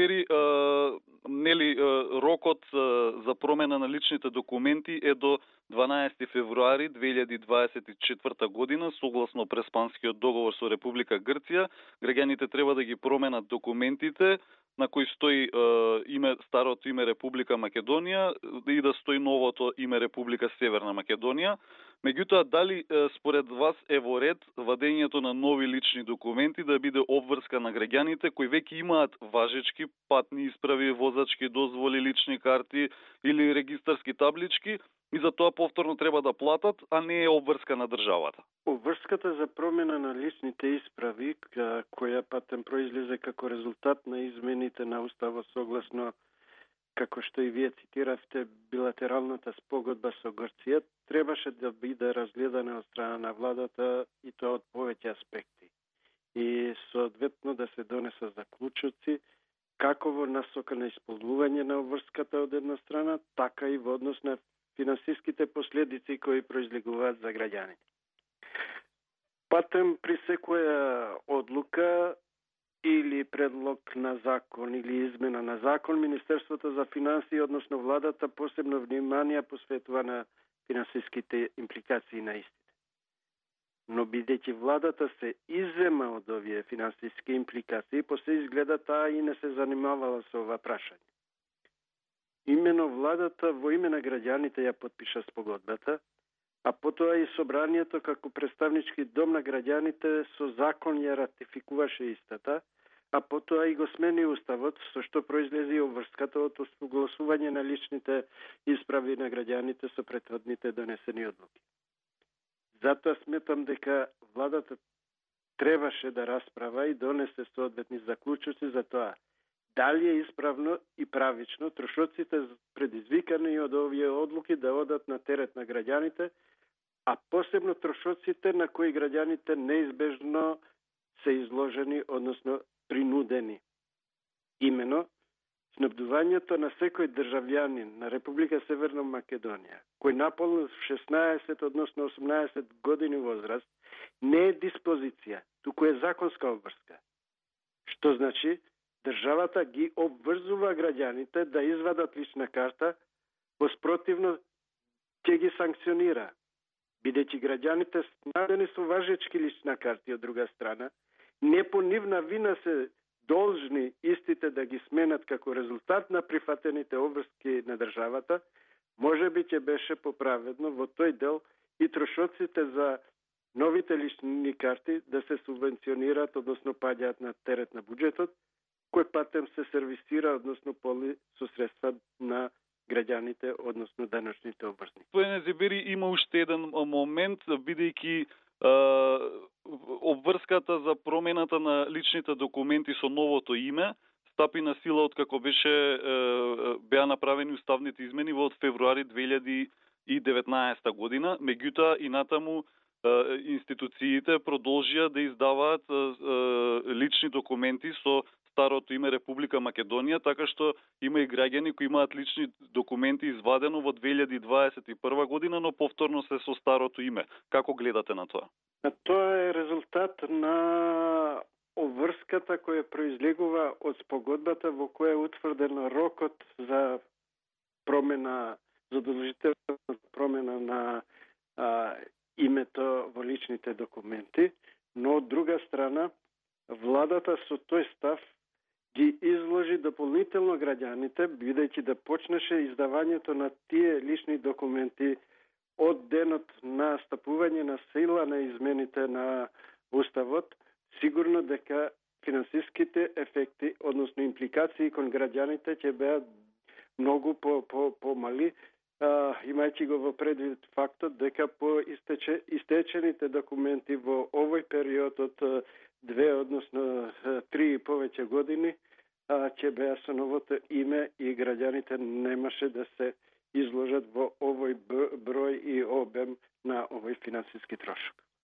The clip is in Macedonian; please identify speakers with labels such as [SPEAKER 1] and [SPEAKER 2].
[SPEAKER 1] Незибери, рокот за промена на личните документи е до 12 февруари 2024 година, согласно Преспанскиот договор со Република Грција. Граѓаните треба да ги променат документите на кои стои старото име Република Македонија и да стои новото име Република Северна Македонија. Меѓутоа, дали според вас е во ред вадењето на нови лични документи да биде обврска на граѓаните кои веќе имаат важечки патни исправи, возачки дозволи, лични карти или регистарски таблички и за тоа повторно треба да платат, а не е обврска на државата?
[SPEAKER 2] Обврската за промена на личните исправи, која патем произлезе како резултат на измените на Уставот согласно, како што и вие цитиравте, билатералната спогодба со Грција, требаше да биде разгледана од страна на владата и тоа од повеќе аспекти. И соодветно да се донесат заклучоци како во насока на исполнување на обврската од една страна, така и во однос на финансиските последици кои произлегуваат за граѓаните. Патем при секоја одлука или предлог на закон или измена на закон, Министерството за финансии, односно владата, посебно внимание посветува на финансиските импликации на истите. Но бидејќи владата се иззема од овие финансиски импликации, после изгледа таа и не се занимавала со ова прашање. Имено владата во име на граѓаните ја потпиша спогодбата, а потоа и собранието како представнички дом на граѓаните со закон ја ратификуваше истата, а потоа и го смени Уставот, со што произлезе и обврската од согласување на личните исправи на граѓаните со претходните донесени одлуки. Затоа сметам дека владата требаше да расправа и донесе соодветни заклучоци за тоа дали е исправно и правично трошоците предизвикани од овие одлуки да одат на терет на граѓаните, а посебно трошоците на кои граѓаните неизбежно се изложени, односно принудени. Имено, снабдувањето на секој државјанин на Република Северна Македонија, кој наполни 16, односно 18 години возраст, не е диспозиција, туку е законска обврска. Што значи, државата ги обврзува граѓаните да извадат лична карта, воспротивно ќе ги санкционира. Бидејќи граѓаните снабдени со важечки лична карти од друга страна, не по нивна вина се должни истите да ги сменат како резултат на прифатените обврски на државата, може би ќе беше поправедно во тој дел и трошоците за новите лични карти да се субвенционираат, односно паѓаат на терет на буџетот, кој патем се сервисира, односно поли со средства на граѓаните, односно даночните обврзници.
[SPEAKER 1] Незибери, има уште еден момент, бидејќи обврската за промената на личните документи со новото име стапи на сила од како беа направени уставните измени во февруари 2019 година. Меѓутоа и натаму институциите продолжија да издаваат лични документи со старото име Република Македонија, така што има и граѓани кои имаат лични документи извадено во 2021 година, но повторно се со старото име. Како гледате на тоа?
[SPEAKER 2] Тоа е резултат на обврската која произлегува од спогодбата во која е утврден рокот за промена, задолжителна промена на името во личните документи, но од друга страна владата со тој став ги изложи дополнително граѓаните, бидејќи да почнеше издавањето на тие лични документи од денот на стапување на сила на измените на Уставот, сигурно дека финансиските ефекти, односно импликации кон граѓаните ќе беат многу помали, имајќи го во предвид фактот дека по истечените документи во овој период од 2, односно 3 и повеќе години, ќе беа со новото име и граѓаните немаше да се изложат во овој број и обем на овој финансиски трошок.